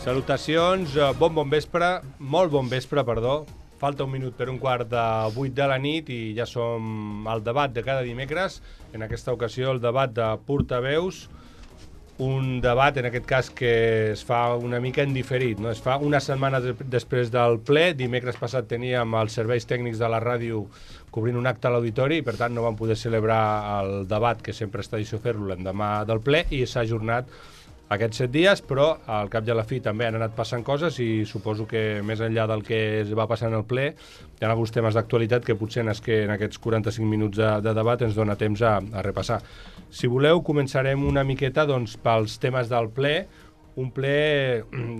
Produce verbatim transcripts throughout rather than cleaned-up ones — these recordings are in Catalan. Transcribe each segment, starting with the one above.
Salutacions, bon bon vespre, molt bon vespre, perdó. Falta un minut per un quart de vuit de la nit i ja som al debat de cada dimecres. En aquesta ocasió el debat de portaveus, un debat en aquest cas que es fa una mica en diferit, no? Es fa una setmana de després del ple. Dimecres passat teníem els serveis tècnics de la ràdio cobrint un acte a l'auditori i per tant no vam poder celebrar el debat, que sempre és tradició fer-lo l'endemà del ple, i s'ha ajornat aquests set dies, però al cap i a la fi també han anat passant coses i suposo que més enllà del que es va passar en el ple hi ha alguns temes d'actualitat que potser en, es que en aquests quaranta-cinc minuts de, de debat ens dona temps a, a repassar. Si voleu, començarem una miqueta doncs, pels temes del ple, un ple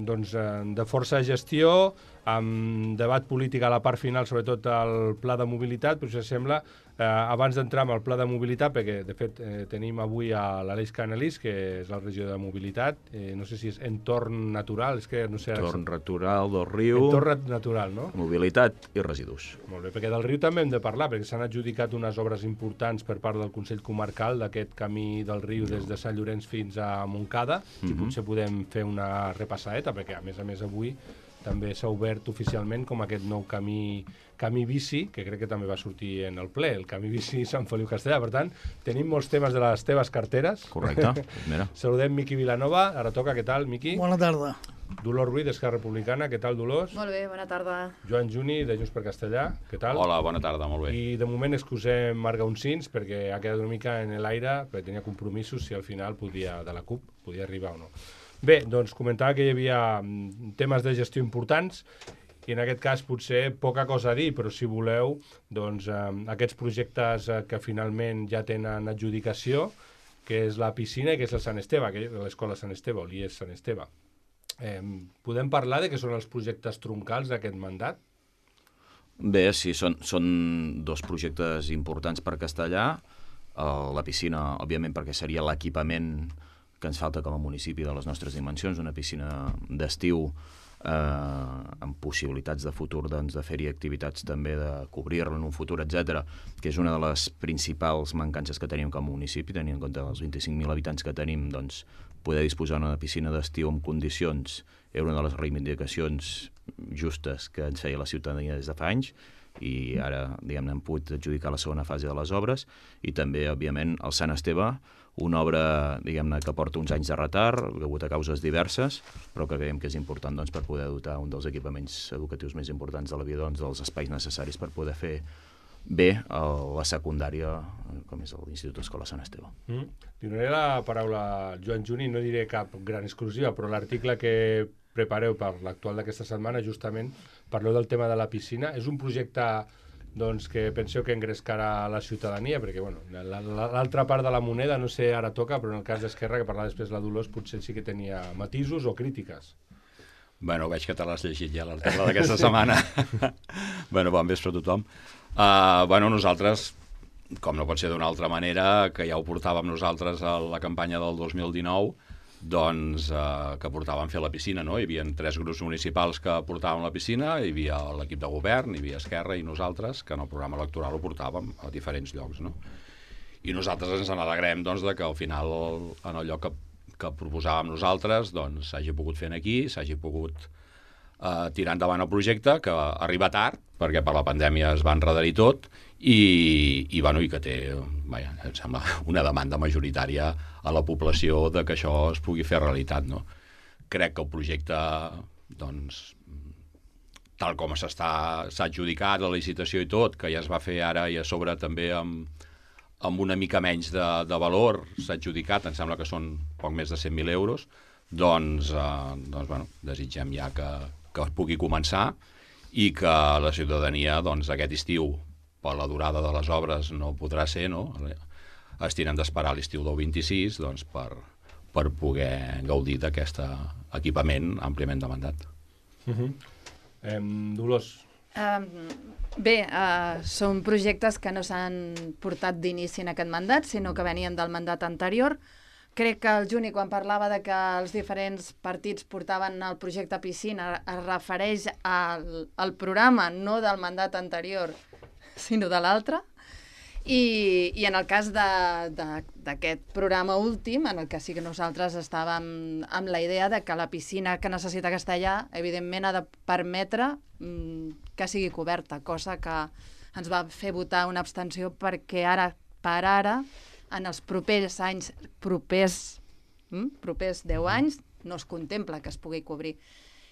doncs, de força gestió, amb debat polític a la part final, sobretot el pla de mobilitat, però si sembla, eh, abans d'entrar en el pla de mobilitat, perquè de fet eh, tenim avui a l'Aleix Canelís, que és el regidor de mobilitat, eh, no sé si és entorn natural, és que no sé... Entorn natural del riu... Entorn natural, no? Mobilitat i residus. Molt bé, perquè del riu també hem de parlar, perquè s'han adjudicat unes obres importants per part del Consell Comarcal d'aquest camí del riu des de Sant Llorenç fins a Montcada, mm-hmm. i potser podem fer una repassadeta, perquè a més a més avui també s'ha obert oficialment com aquest nou camí, camí bici, que crec que també va sortir en el ple, el camí bici Sant Feliu Castellà. Per tant, tenim molts temes de les teves carteres. Correcte. Mira. Saludem Miqui Vilanova. Ara toca, què tal, Miqui? Bona tarda. Dolors Ruiz, d'Esquerra Republicana. Què tal, Dolors? Molt bé, bona tarda. Joan Juni, de Junts per Castellà. Què tal? Hola, bona tarda, molt bé. I de moment excusem Marc Gaunsins, perquè ha quedat una mica en l'aire, perquè tenia compromisos si al final podia, de la CUP, podia arribar o no. Bé, doncs comentava que hi havia temes de gestió importants i en aquest cas potser poca cosa a dir, però si voleu, doncs eh, aquests projectes eh, que finalment ja tenen adjudicació, que és la piscina i que és el Sant Esteve, que és l'escola Sant Esteve, o l'I E S Sant Esteve. Eh, podem parlar de què són els projectes troncals d'aquest mandat? Bé, sí, són, són dos projectes importants per Castellà. Uh, la piscina, òbviament, perquè seria l'equipament que ens falta com a municipi de les nostres dimensions, una piscina d'estiu eh, amb possibilitats de futur doncs, de fer-hi activitats també, de cobrir-la en un futur, etcètera, que és una de les principals mancances que tenim com a municipi, tenint en compte els vint-i-cinc mil habitants que tenim, doncs, poder disposar d'una piscina d'estiu en condicions era una de les reivindicacions justes que ens feia la ciutadania des de fa anys, i ara, diguem-ne, hem pogut adjudicar la segona fase de les obres, i també, òbviament, el Sant Esteve, una obra, diguem-ne, que porta uns anys de retard, degut a causes diverses, però que creiem que és important doncs, per poder dotar un dels equipaments educatius més importants de la vida, doncs, dels espais necessaris per poder fer bé a la secundària, com és l'Institut Escola Sant Esteve. Mm. Li donaré la paraula a Joan Juni, no diré cap gran exclusiva, però l'article que prepareu per l'actual d'aquesta setmana, justament parleu del tema de la piscina. És un projecte doncs, que penseu que engrescarà la ciutadania, perquè bueno, l'altra part de la moneda, no sé, ara toca, però en el cas d'Esquerra, que parlava després la Dolors, potser sí que tenia matisos o crítiques. Bueno, veig que te l'has llegit ja, l'article d'aquesta setmana. Bueno, bon vespre a tothom. Uh, bueno, nosaltres, com no pot ser d'una altra manera, que ja ho portàvem nosaltres a la campanya del dos mil dinou, doncs eh, que portàvem fer la piscina, no? Hi havia tres grups municipals que portàvem la piscina, hi havia l'equip de govern, hi havia Esquerra i nosaltres, que en el programa electoral ho portàvem a diferents llocs, no? I nosaltres ens n'alegrem, doncs, de que al final, en el lloc que, que proposàvem nosaltres, doncs, s'hagi pogut fer aquí, s'hagi pogut eh, tirar endavant el projecte, que arriba tard, perquè per la pandèmia es va enredar-hi tot, i, i, bueno, i que té, vaja, em sembla, una demanda majoritària a la població de que això es pugui fer realitat, no? Crec que el projecte, doncs, tal com s'està s'ha adjudicat la licitació i tot, que ja es va fer ara i a sobre també amb, amb una mica menys de, de valor, s'ha adjudicat, em sembla que són poc més de cent mil euros, doncs, eh, doncs bueno, desitgem ja que, que es pugui començar i que la ciutadania, doncs, aquest estiu, per la durada de les obres no podrà ser, no? Es tenen d'esperar l'estiu del vint-i-sis, doncs, per, per poder gaudir d'aquest equipament àmpliament demandat. Uh-huh. eh, Dolors. Um, bé, uh, són projectes que no s'han portat d'inici en aquest mandat, sinó que venien del mandat anterior. Crec que el Juni, quan parlava de que els diferents partits portaven el projecte piscina, es refereix al, al programa, no del mandat anterior, sinó de l'altre. I, i en el cas d'aquest programa últim, en el que sí que nosaltres estàvem amb la idea de que la piscina que necessita Castellà, evidentment, ha de permetre mm, que sigui coberta, cosa que ens va fer votar una abstenció perquè ara, per ara, en els propers anys, propers, mm, propers deu anys, no es contempla que es pugui cobrir.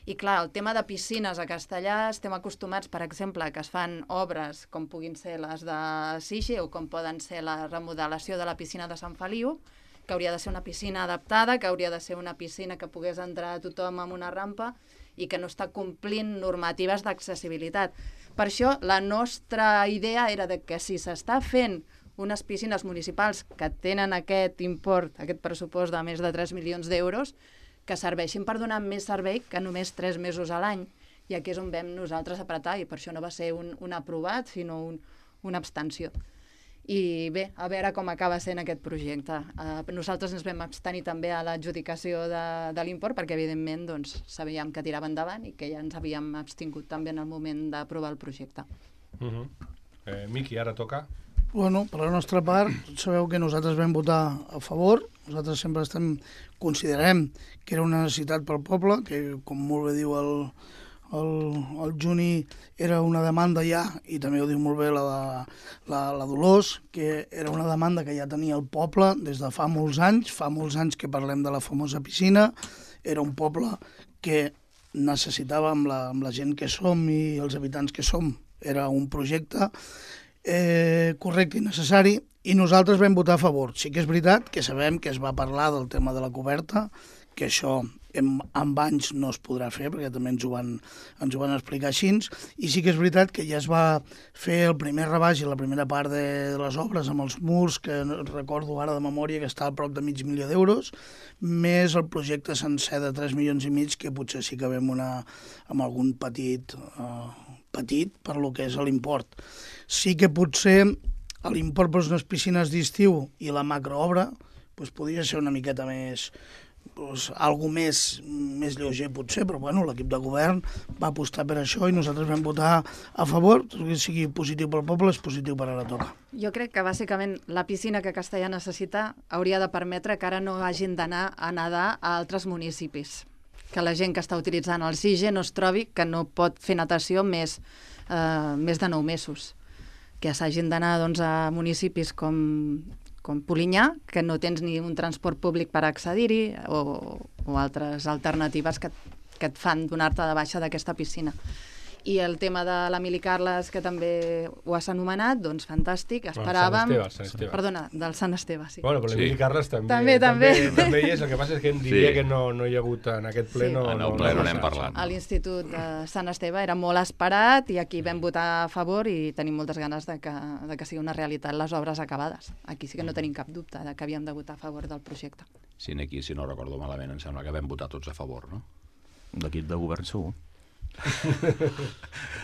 I clar, el tema de piscines a Castellà, estem acostumats, per exemple, que es fan obres com puguin ser les de Sige o com poden ser la remodelació de la piscina de Sant Feliu, que hauria de ser una piscina adaptada, que hauria de ser una piscina que pogués entrar tothom amb una rampa i que no està complint normatives d'accessibilitat. Per això, la nostra idea era de que si s'està fent unes piscines municipals que tenen aquest import, aquest pressupost de més de tres milions d'euros, que serveixin per donar més servei que només tres mesos a l'any. I aquí és on vam nosaltres apretar, i per això no va ser un, un aprovat, sinó un, una abstenció. I bé, a veure com acaba sent aquest projecte. Uh, nosaltres ens vam abstenir també a l'adjudicació de, de l'import, perquè evidentment doncs, sabíem que tirava endavant i que ja ens havíem abstingut també en el moment d'aprovar el projecte. Uh -huh. eh, Miqui, ara toca. Bueno, per la nostra part, sabeu que nosaltres vam votar a favor. Nosaltres sempre estem, considerem que era una necessitat pel poble, que, com molt bé diu el, el, el Juni, era una demanda ja, i també ho diu molt bé la, la, la Dolors, que era una demanda que ja tenia el poble des de fa molts anys, fa molts anys que parlem de la famosa piscina. Era un poble que necessitava, amb la, amb la gent que som i els habitants que som, era un projecte Eh, correcte i necessari, i nosaltres vam votar a favor. Sí que és veritat que sabem que es va parlar del tema de la coberta, que això en, en anys no es podrà fer, perquè també ens ho, van, ens ho van explicar així, i sí que és veritat que ja es va fer el primer rebaix i la primera part de, de les obres amb els murs, que recordo ara de memòria que està a prop de mig milió d'euros, més el projecte sencer de tres milions i mig, que potser sí que vam una, amb algun petit... Eh, petit per lo que és l'import. Sí que potser l'import per unes piscines d'estiu i la macroobra pues, podria ser una miqueta més, pues, algo més, més lleuger potser, però bueno, l'equip de govern va apostar per això i nosaltres vam votar a favor. Tot que sigui positiu pel poble és positiu per ara toca. Jo crec que bàsicament la piscina que Castellà necessita hauria de permetre que ara no hagin d'anar a nedar a altres municipis, que la gent que està utilitzant el Sige no es trobi que no pot fer natació més, eh, més de nou mesos. Que s'hagin d'anar doncs, a municipis com, com Polinyà, que no tens ni un transport públic per accedir-hi, o, o altres alternatives que, que et fan donar-te de baixa d'aquesta piscina. I el tema de l'Emili Carles, que també ho has anomenat, doncs fantàstic, esperàvem... Bueno, Sant Esteve, Sant Esteve. Perdona, del Sant Esteve, sí. Bueno, però l'Emili Sí. Carles també, També, també. també, també hi és. El que passa és que em diria Sí. que no, no hi ha hagut en aquest ple. Sí. No, En el no, ple no no n'hem s'ha- parlat. A l'Institut de Sant Esteve era molt esperat i aquí vam votar a favor i tenim moltes ganes de que, de que sigui una realitat les obres acabades. Aquí sí que no tenim cap dubte de que havíem de votar a favor del projecte. Sí, aquí, si no recordo malament, em sembla que vam votar tots a favor, no? L'equip de govern segur.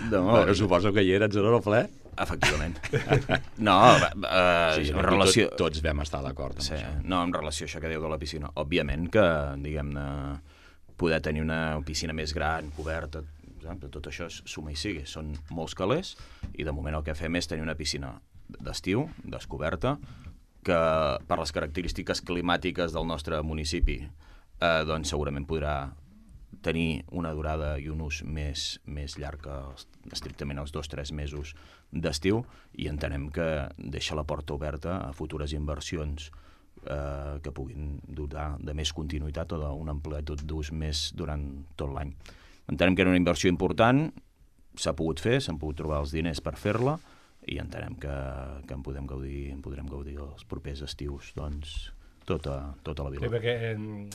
No, Bueno, suposo que hi eres en el ple. efectivament. No, eh, Sí, en aquí relació... tot, tots vam estar d'acord amb Sí, això. no, en relació a això que diu de la piscina. Òbviament que, diguem-ne, poder tenir una piscina més gran, coberta, tot, tot això és suma i sigue. Són molts calés i de moment el que fem és tenir una piscina d'estiu, descoberta, que per les característiques climàtiques del nostre municipi eh, doncs segurament podrà tenir una durada i un ús més, més llarg que els, estrictament els dos o tres mesos d'estiu, i entenem que deixa la porta oberta a futures inversions eh, que puguin dotar de més continuïtat o d'una amplitud d'ús més durant tot l'any. Entenem que era una inversió important, s'ha pogut fer, s'han pogut trobar els diners per fer-la, i entenem que, que en podem gaudir, en podrem gaudir els propers estius, doncs, tota, tota la vila. Sí, perquè eh,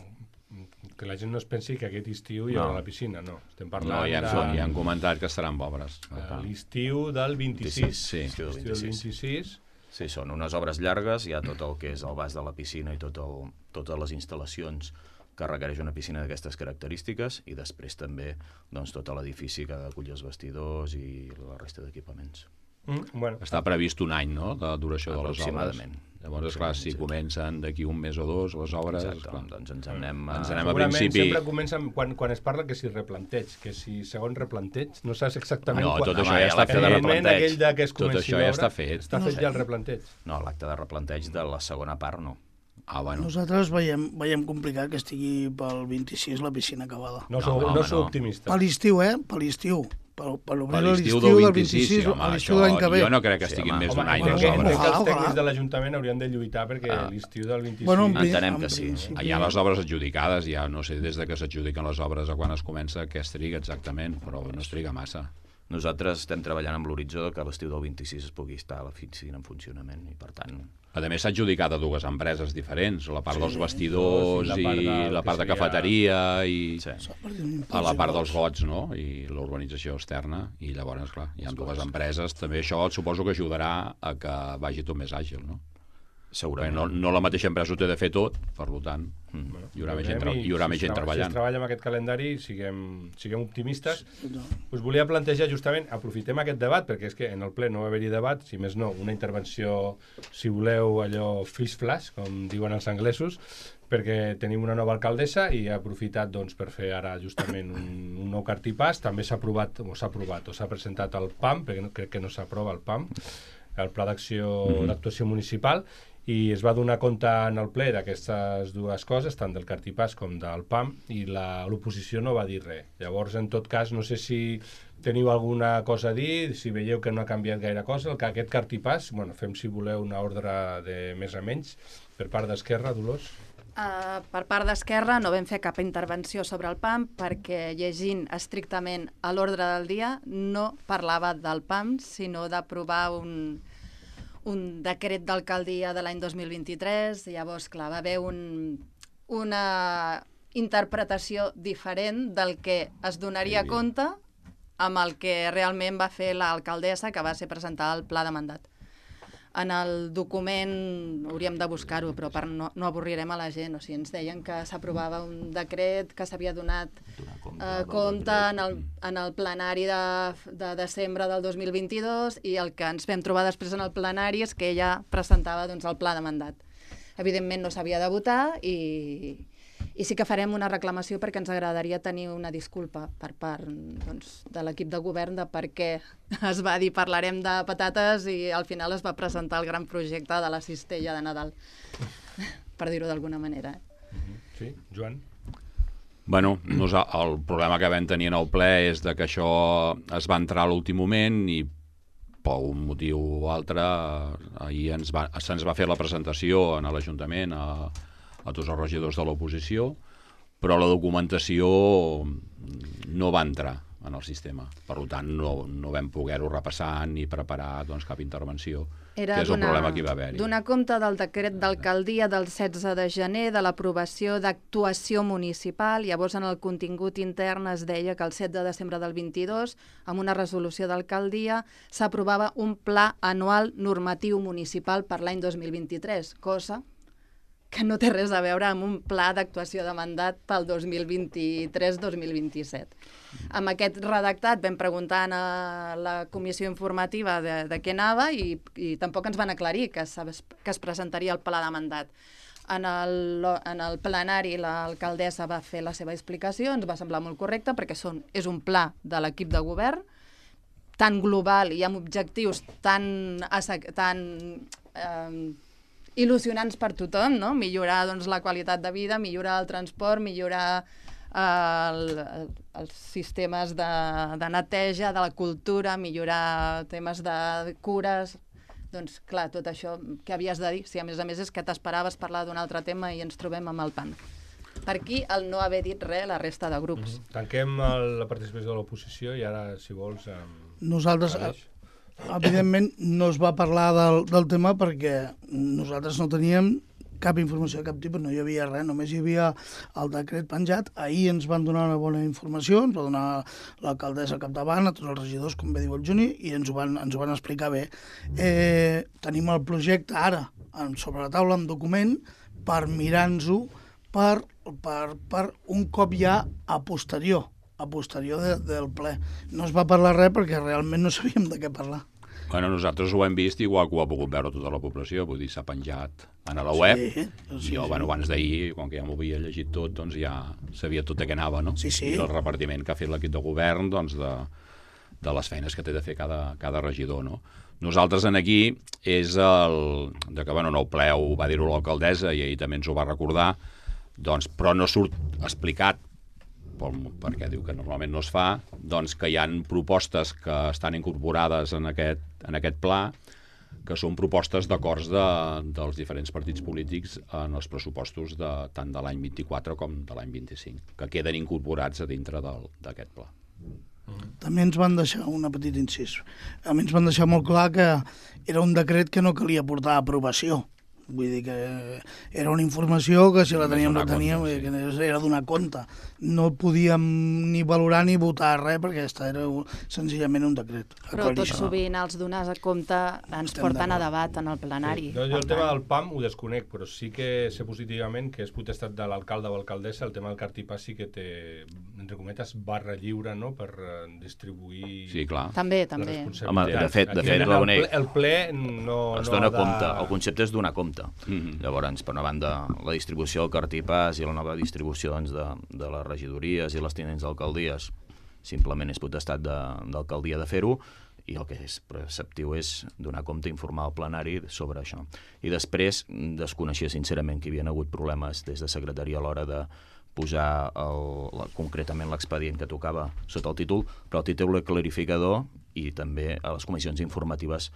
que la gent no es pensi que aquest estiu hi haurà No. la piscina, no. Estem No, parlant ja, de, han, ja han comentat que estaran pobres. de l'estiu del vint-i-sis. Sí, Estiu del L'estiu del vint-i-sis. vint-i-sis. Sí, són unes obres llargues, hi ha tot el que és el bas de la piscina i tot el, totes les instal·lacions que requereix una piscina d'aquestes característiques, i després també doncs, tot l'edifici que ha d'acollir els vestidors i la resta d'equipaments. Mm, bueno, Està previst un any, no?, de duració de les obres. Aproximadament. Llavors, clar, si comencen d'aquí un mes o dos les obres... Exacte, clar, doncs ens anem a... ens anem a Segurament principi... sempre comencen quan, quan es parla que si replanteig, que si segon replanteig, no saps exactament... No, quan... tot això Home, ja està l'acte fet. de El moment replanteig. aquell de que es Tot comenci això ja l'obra, està fet. Està fet ja el replanteig. No, l'acte de replanteig de la segona part no. Ah, bueno. Nosaltres veiem, veiem complicat que estigui pel vint-i-sis la piscina acabada. No sou, No, no, home, sou no. optimistes. Per l'estiu, eh? Per l'estiu. Per, per Per obrir l'estiu l'estiu del del vint-i-sis, sí, vint-i-sis, home, a l'estiu això, de l'any que ve. jo no crec que Sí, estiguin home. més d'un Home, any crec les que, bueno, crec obres. que els ojalà, tècnics ojalà. de l'Ajuntament haurien de lluitar perquè Ah. l'estiu del vint-i-sis... Bueno, en pri- Entenem en que sí. principi- Hi ha les obres adjudicades, ja no sé des de que s'adjudiquen les obres a quan es comença, què es triga exactament, però no es triga massa. Nosaltres estem treballant amb l'horitzó que a l'estiu del vint-i-sis es pugui estar a l'oficina en funcionament i, per tant... A més, s'ha adjudicat a dues empreses diferents, la part dels vestidors sí, la i part del la que part de seria- cafeteria i Sí. S'ha perdut un impuls a la part de dels gots, no? I l'urbanització externa. I llavors, clar, hi ha dues empreses. També això suposo que ajudarà a que vagi tot més àgil, no? Perquè Segurament. no, no la mateixa empresa ho té de fer tot, per tant, Mm. hi haurà més gent, Veurem, tra- i hi haurà si més es gent treballa- treballant. Si es treballa amb aquest calendari, siguem, siguem optimistes. No. Us volia plantejar justament, aprofitem aquest debat, perquè és que en el ple no va haver-hi debat, si més no, una intervenció, si voleu, allò fish flash, com diuen els anglesos, perquè tenim una nova alcaldessa i ha aprofitat doncs, per fer ara justament un, un nou cartipàs. També s'ha aprovat, o s'ha aprovat, o s'ha presentat el P A M, perquè no, crec que no s'aprova el P A M, el Pla d'Acció Mhm. d'Actuació Municipal, i es va donar compte en el ple d'aquestes dues coses, tant del cartipàs com del P A M, i la- l'oposició no va dir res. Llavors, en tot cas, no sé si teniu alguna cosa a dir, si veieu que no ha canviat gaire cosa, el que aquest cartipàs, bueno, fem si voleu una ordre de més a menys, per part d'Esquerra, Dolors. Uh, per part d'Esquerra no vam fer cap intervenció sobre el P A M perquè llegint estrictament a l'ordre del dia no parlava del P A M, sinó d'aprovar un, un decret d'alcaldia de l'any dos mil vint-i-tres. Llavors, clar, va haver un, una interpretació diferent del que es donaria Sí. compte amb el que realment va fer l'alcaldessa, que va ser presentar el pla de mandat. En el document hauríem de buscar-ho, però per no, no avorrirem a la gent. O sigui, ens deien que s'aprovava un decret que s'havia donat Donar compte eh, del compte decret. en el, en el plenari de, de desembre del dos mil vint-i-dos, i el que ens vam trobar després en el plenari és que ella presentava doncs, el pla de mandat. Evidentment no s'havia de votar i, i sí que farem una reclamació perquè ens agradaria tenir una disculpa per part doncs, de l'equip de govern de per què es va dir parlarem de patates i al final es va presentar el gran projecte de la cistella de Nadal, per dir-ho d'alguna manera. Sí, Joan? Bueno, nosa- el problema que vam tenir en el ple és de que això es va entrar a l'últim moment i per un motiu o altre ahir ens va, se'ns va fer la presentació en l'Ajuntament a, a tots els regidors de l'oposició, però la documentació no va entrar en el sistema. Per tant, no, no vam poder-ho repassar ni preparar doncs, cap intervenció, Era que és el donar- problema que hi va haver-hi. donar compte del decret d'alcaldia del setze de gener de l'aprovació d'actuació municipal. Llavors, en el contingut intern es deia que el set de desembre del vint-i-dos, amb una resolució d'alcaldia, s'aprovava un pla anual normatiu municipal per l'any dos mil vint-i-tres, cosa que no té res a veure amb un pla d'actuació de mandat pel dos mil vint-i-tres dos mil vint-i-set. Amb aquest redactat vam preguntar a la comissió informativa de, de què anava i, i tampoc ens van aclarir que, que es presentaria el pla de mandat. En el, en el plenari l'alcaldessa va fer la seva explicació, ens va semblar molt correcte perquè són, és un pla de l'equip de govern tan global i amb objectius tan, tan eh, il·lusionants per tothom, no? Millorar doncs, la qualitat de vida, millorar el transport, millorar eh, el, el, els sistemes de, de neteja, de la cultura, millorar temes de cures. Doncs clar, tot això que havies de dir, si a més a més és que t'esperaves parlar d'un altre tema i ens trobem amb el P A M. Per aquí el no haver dit res la resta de grups. Mm-hmm. Tanquem el, la participació de l'oposició i ara, si vols... Amb... Nosaltres, evidentment, no es va parlar del, del tema perquè nosaltres no teníem cap informació de cap tipus, no hi havia res, només hi havia el decret penjat. Ahir ens van donar una bona informació, ens va donar l'alcaldessa al capdavant, a tots els regidors, com bé diu el Juni, i ens ho van, ens ho van explicar bé. Eh, tenim el projecte ara en, sobre la taula, en document, per mirar-nos-ho per, per, per un cop ja a posterior, a posterior de, del ple. No es va parlar res perquè realment no sabíem de què parlar. Bueno, nosaltres ho hem vist igual que ho ha pogut veure tota la població, vull dir, s'ha penjat a la web, Sí, i sí, jo, sí. bueno, abans d'ahir, com que ja m'ho havia llegit tot, doncs ja sabia tot de què anava, no? Sí, sí. I el repartiment que ha fet l'equip de govern, doncs, de, de les feines que té de fer cada, cada regidor, no? Nosaltres en aquí és el... de que, bueno, no ho ple, ho va dir-ho l'alcaldessa i ahir també ens ho va recordar, doncs, però no surt explicat, perquè diu que normalment no es fa, doncs que hi han propostes que estan incorporades en aquest, en aquest pla, que són propostes d'acords de, dels diferents partits polítics en els pressupostos de, tant de l'any vint-i-quatre com de l'any vint-i-cinc, que queden incorporats a dintre d'aquest pla. També ens van deixar una petita incís. A mi ens van deixar molt clar que era un decret que no calia portar a aprovació. Vull dir que era una informació que si la teníem la teníem, que era donar compte. No podíem ni valorar ni votar res perquè aquesta era senzillament un decret. Però tot sovint els donar a compte ens porten a debat en el plenari. Sí. No, jo el tema del P A M ho desconec, però sí que sé positivament que és potestat de l'alcalde o alcaldessa, el tema del cartipà sí que té, entre cometes, barra lliure, no?, per distribuir... Sí, clar. També, també. Home, de fet, de fet, el, ple, el ple no... Es no dona de... compte, el concepte és donar compte. Mm-hmm. Llavors, per una banda, la distribució del cartipàs i la nova distribució doncs, de, de les regidories i les tinents d'alcaldies simplement és potestat d'alcaldia de, de fer-ho, i el que és preceptiu és donar compte, informar al plenari sobre això. I després, desconeixia sincerament que hi havia hagut problemes des de secretaria a l'hora de posar el, la, concretament l'expedient que tocava sota el títol, però el títol clarificador i també a les comissions informatives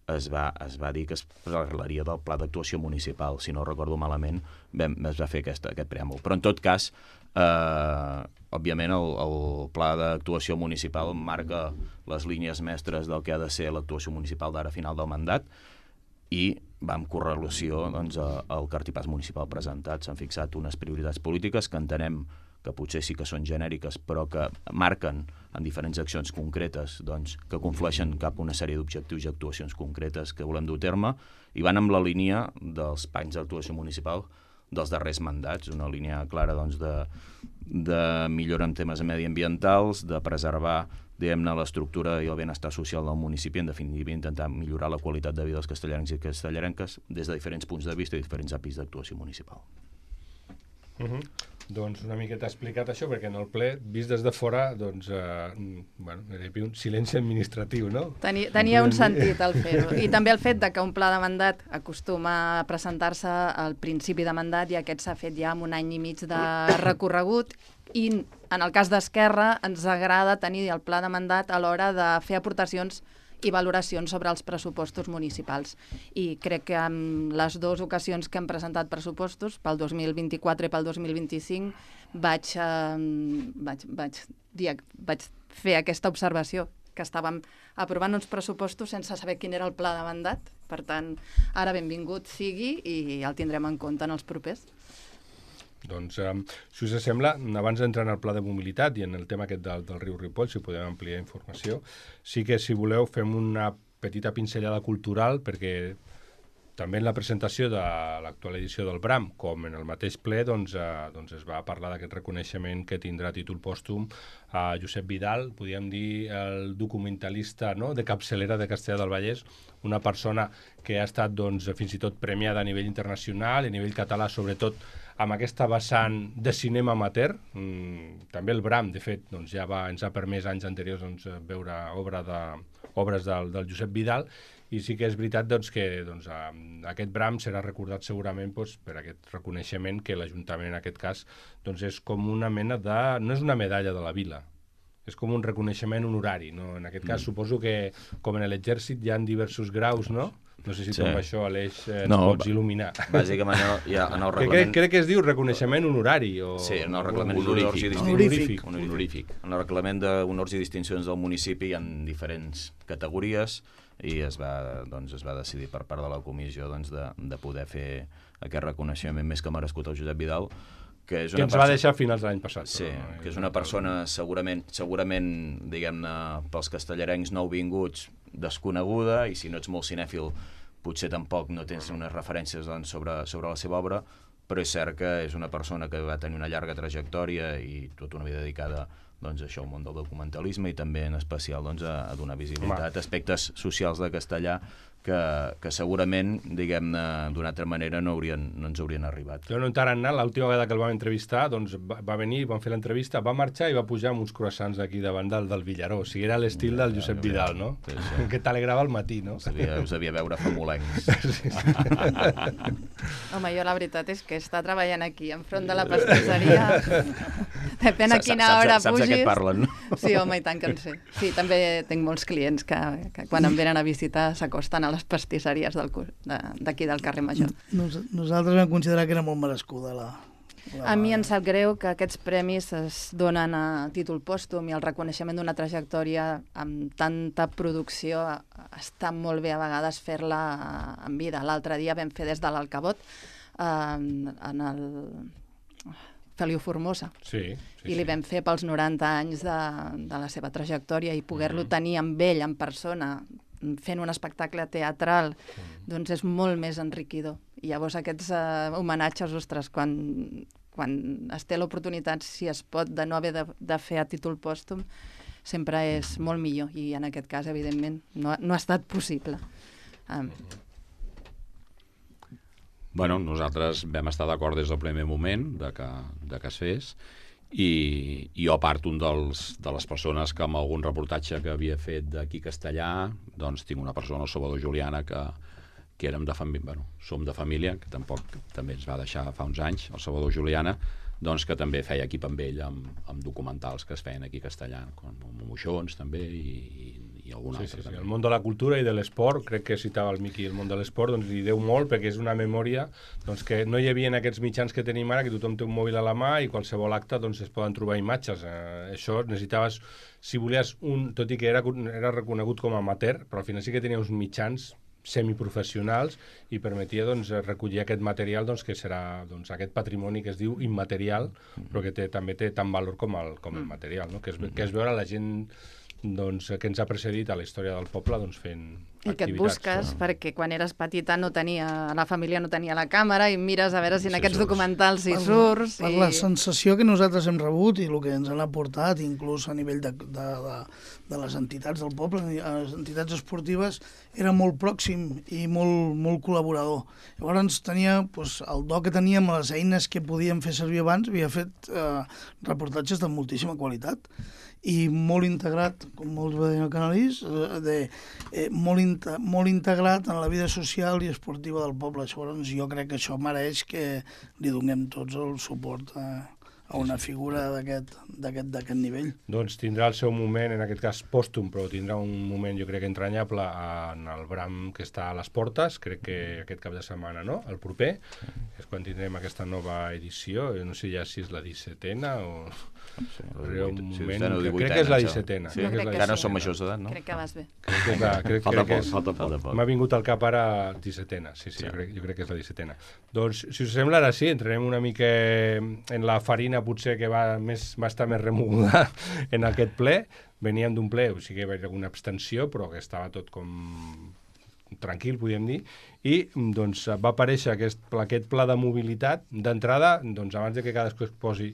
es va, es va dir que es parlaria del pla d'actuació municipal. Si no recordo malament, vam, es va fer aquesta, aquest preàmbul. Però en tot cas, eh, òbviament el, el pla d'actuació municipal marca les línies mestres del que ha de ser l'actuació municipal d'ara final del mandat, i va en correlació doncs, al cartipàs municipal presentat. S'han fixat unes prioritats polítiques que entenem que potser sí que són genèriques, però que marquen en diferents accions concretes, doncs, que conflueixen cap a una sèrie d'objectius i actuacions concretes que volem dur a terme, i van amb la línia dels panys d'actuació municipal dels darrers mandats, una línia clara doncs, de, de millora en temes mediambientals, de preservar diguem-ne l'estructura i el benestar social del municipi, en definitiva intentar millorar la qualitat de vida dels castellarencs i castellarenques des de diferents punts de vista i diferents àmbits d'actuació municipal. Uh-huh. Doncs una miqueta explicat això, perquè en el ple, vist des de fora, doncs, eh, bueno, era un silenci administratiu, no? Tenia, tenia un sentit el fer-ho. I també el fet de que un pla de mandat acostuma a presentar-se al principi de mandat, i aquest s'ha fet ja amb un any i mig de recorregut, i en el cas d'Esquerra ens agrada tenir el pla de mandat a l'hora de fer aportacions i valoracions sobre els pressupostos municipals. I crec que en les dues ocasions que hem presentat pressupostos, pel dos mil vint-i-quatre i pel dos mil vint-i-cinc, vaig, eh, vaig, vaig, dir, vaig fer aquesta observació, que estàvem aprovant uns pressupostos sense saber quin era el pla de mandat. Per tant, ara benvingut sigui i el tindrem en compte en els propers. Doncs, eh, si us sembla, abans d'entrar en el pla de mobilitat i en el tema aquest del, del riu Ripoll, si podem ampliar informació, sí que, si voleu, fem una petita pinzellada cultural, perquè també en la presentació de l'actual edició del Bram, com en el mateix ple, doncs, eh, doncs es va parlar d'aquest reconeixement que tindrà títol pòstum a Josep Vidal, podríem dir el documentalista, no?, de capçalera de Castellar del Vallès, una persona que ha estat doncs, fins i tot premiada a nivell internacional, a nivell català, sobretot amb aquesta vessant de cinema amateur. Mm, també el Bram, de fet, doncs, ja va, ens ha permès anys anteriors doncs, veure obra de, obres del, del Josep Vidal, i sí que és veritat doncs, que doncs, aquest Bram serà recordat segurament doncs, per aquest reconeixement que l'Ajuntament en aquest cas doncs, és com una mena de... no és una medalla de la vila, és com un reconeixement honorari, no? En aquest cas mm. suposo que com en l'exèrcit hi ha diversos graus, no? No sé si sí. tu amb això, Aleix, eh, no, ens pots il·luminar. Bàsicament, ja, en el reglament... Crec, crec que es diu reconeixement honorari. O... Sí, en el reglament honorífic. Honorífic. Honorífic. Honorífic. En el reglament d'honors i distincions del municipi hi ha diferents categories, i es va, doncs, es va decidir per part de la comissió doncs, de, de poder fer aquest reconeixement més que merescut al Josep Vidal, que és una que ens va deixar a finals de l'any passat. Sí, però, que és una persona segurament, segurament diguem-ne, pels castellarencs nouvinguts, desconeguda, i si no ets molt cinèfil potser tampoc no tens unes referències doncs, sobre, sobre la seva obra, però és cert que és una persona que va tenir una llarga trajectòria i tota una vida dedicada doncs, això, el món del documentalisme, i també en especial doncs, a, a donar visibilitat a aspectes socials de castellà que, que segurament, diguem-ne, d'una altra manera no, haurien, no ens haurien arribat. Jo no encara anat, l'última vegada que el vam entrevistar, doncs va, va venir, vam fer l'entrevista, va marxar i va pujar amb uns croissants d'aquí davant del, del Villaró. O sigui, era l'estil ja, del Josep ja, Vidal, no? Sí, sí. Que t'alegrava al matí, no? Us havia, us havia veure famolencs. Sí, sí. Home, jo la veritat és que està treballant aquí, enfront de la pastisseria. Depèn a quina hora saps, saps, pugis. Saps de què parlen, no? Sí, home, i tant que en sé. Sí, també tinc molts clients que, que quan em venen a visitar s'acosten a les pastisseries d'aquí del carrer Major. Nos, nosaltres vam considerar que era molt merescuda la... la... A mi em sap greu que aquests premis es donen a títol pòstum i el reconeixement d'una trajectòria amb tanta producció està molt bé a vegades fer-la en vida. L'altre dia vam fer des de l'Alcabot en, en el Feliu Formosa sí, sí, i li vam fer pels noranta anys de, de la seva trajectòria i poder-lo tenir amb ell en persona fent un espectacle teatral, doncs és molt més enriquidor. I llavors aquests uh, homenatges, ostres, quan, quan es té l'oportunitat, si es pot, de no haver de, de fer a títol pòstum, sempre és molt millor. I en aquest cas, evidentment, no, no ha estat possible. Um. Bueno, nosaltres vam estar d'acord des del primer moment de que, de que es fes, i jo, a part, un dels, de les persones que amb algun reportatge que havia fet d'aquí castellà, doncs tinc una persona, el Salvador Juliana, que, que érem de família, bueno, som de família, que tampoc també ens va deixar fa uns anys, el Salvador Juliana, doncs que també feia equip amb ell amb, amb documentals que es feien aquí castellà, com Moixons també i, i, i algun sí, altre. Sí, sí. També. El món de la cultura i de l'esport, crec que citava el Miqui, el món de l'esport, doncs li deu molt perquè és una memòria doncs, que no hi havia en aquests mitjans que tenim ara, que tothom té un mòbil a la mà i qualsevol acte doncs, es poden trobar imatges. Eh, això necessitaves, si volies un, tot i que era, era reconegut com a amateur, però al final sí que tenia uns mitjans semiprofessionals i permetia doncs, recollir aquest material doncs, que serà doncs, aquest patrimoni que es diu immaterial, però que té, també té tant valor com el, com el material, no? que, és, que és veure la gent doncs, que ens ha precedit a la història del poble doncs, fent i que et busques, no? Perquè quan eres petita no tenia, la família no tenia la càmera i mires a veure si en sí, aquests surts. documentals hi surts. Per i... la sensació que nosaltres hem rebut i el que ens han aportat, inclús a nivell de, de, de, de les entitats del poble, les entitats esportives, era molt pròxim i molt, molt col·laborador. Llavors tenia doncs, el do que teníem, les eines que podíem fer servir abans, havia fet eh, reportatges de moltíssima qualitat i molt integrat, com molts va dir el Canalís, de, eh, molt, in, molt integrat en la vida social i esportiva del poble. Llavors jo crec que això mereix que li donem tots el suport a, a una figura d'aquest nivell. Doncs tindrà el seu moment, en aquest cas pòstum, però tindrà un moment, jo crec, entranyable en el Bram que està a les portes, crec que aquest cap de setmana, no? El proper, és quan tindrem aquesta nova edició, no sé ja si és la dissetena o... Sí, un moment, sí, que crec que és la dissetena. Sí, que encara no som majors d'edat, no? Crec que vas bé. Crec que és la, crec, falta crec que poc, és, falta poc. M'ha vingut al cap ara dissetena, sí, sí, sí. Jo, crec, jo crec que és la dissetena. Doncs, si us sembla, ara sí, entrarem una mica en la farina, potser que va, més, va estar més remoguda en aquest ple. Veníem d'un ple, o sigui que hi va haver alguna abstenció, però que estava tot com tranquil, podríem dir, i doncs, va aparèixer aquest, aquest pla de mobilitat. D'entrada, doncs, abans de que cadascú es posi...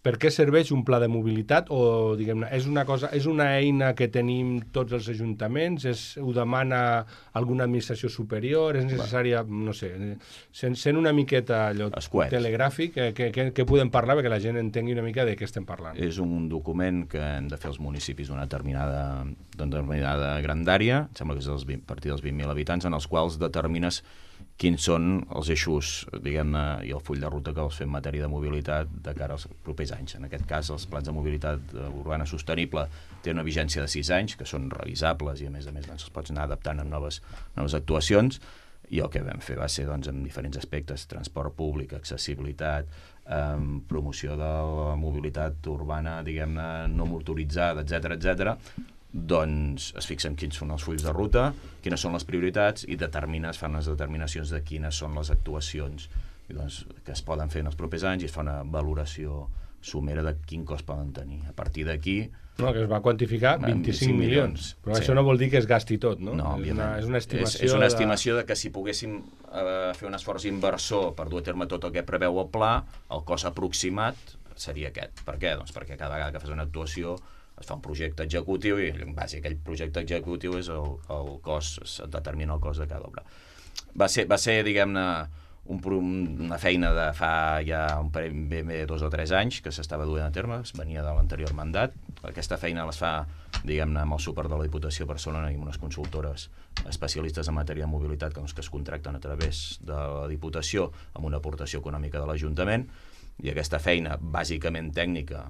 Per què serveix un pla de mobilitat? O, diguem-ne, és una cosa, és una eina que tenim tots els ajuntaments? És, ho demana alguna administració superior? És necessària, no sé, sent, sent una miqueta allò telegràfic, que, que, que podem parlar perquè la gent entengui una mica de què estem parlant? És un document que hem de fer els municipis d'una determinada, determinada grandària, em sembla que és a partir dels vint mil habitants, en els quals determines quins són els eixos, diguem-ne, i el full de ruta que vols fer en matèria de mobilitat de cara als propers anys. En aquest cas, els plans de mobilitat urbana sostenible tenen una vigència de sis anys, que són revisables i, a més a més, doncs, els pots anar adaptant amb noves, noves actuacions, i el que vam fer va ser, doncs, en diferents aspectes, transport públic, accessibilitat, eh, promoció de la mobilitat urbana, diguem-ne, no motoritzada, etcètera, etcètera, doncs es fixen quins són els fulls de ruta, quines són les prioritats i determines, fan les determinacions de quines són les actuacions i doncs, que es poden fer en els propers anys i es fa una valoració somera de quin cost poden tenir. A partir d'aquí... No, que es va quantificar vint-i-cinc milions. Però sí. Això no vol dir que es gasti tot, no? No, és, una, és una estimació... És, és una de... estimació de que si poguéssim eh, fer un esforç inversor per dur a terme tot el que preveu el pla, el cost aproximat seria aquest. Per què? Doncs perquè cada vegada que fas una actuació es fa un projecte executiu i en base a aquell projecte executiu és el, el cost, es determina el cost de cada obra. Va ser, va ser diguem-ne, un, una feina de fa ja un parell, bé, bé, dos o tres anys que s'estava duent a terme, es venia de l'anterior mandat. Aquesta feina les fa, diguem-ne, amb el suport de la Diputació de Barcelona i amb unes consultores especialistes en matèria de mobilitat que, doncs, que es contracten a través de la Diputació amb una aportació econòmica de l'Ajuntament, i aquesta feina bàsicament tècnica,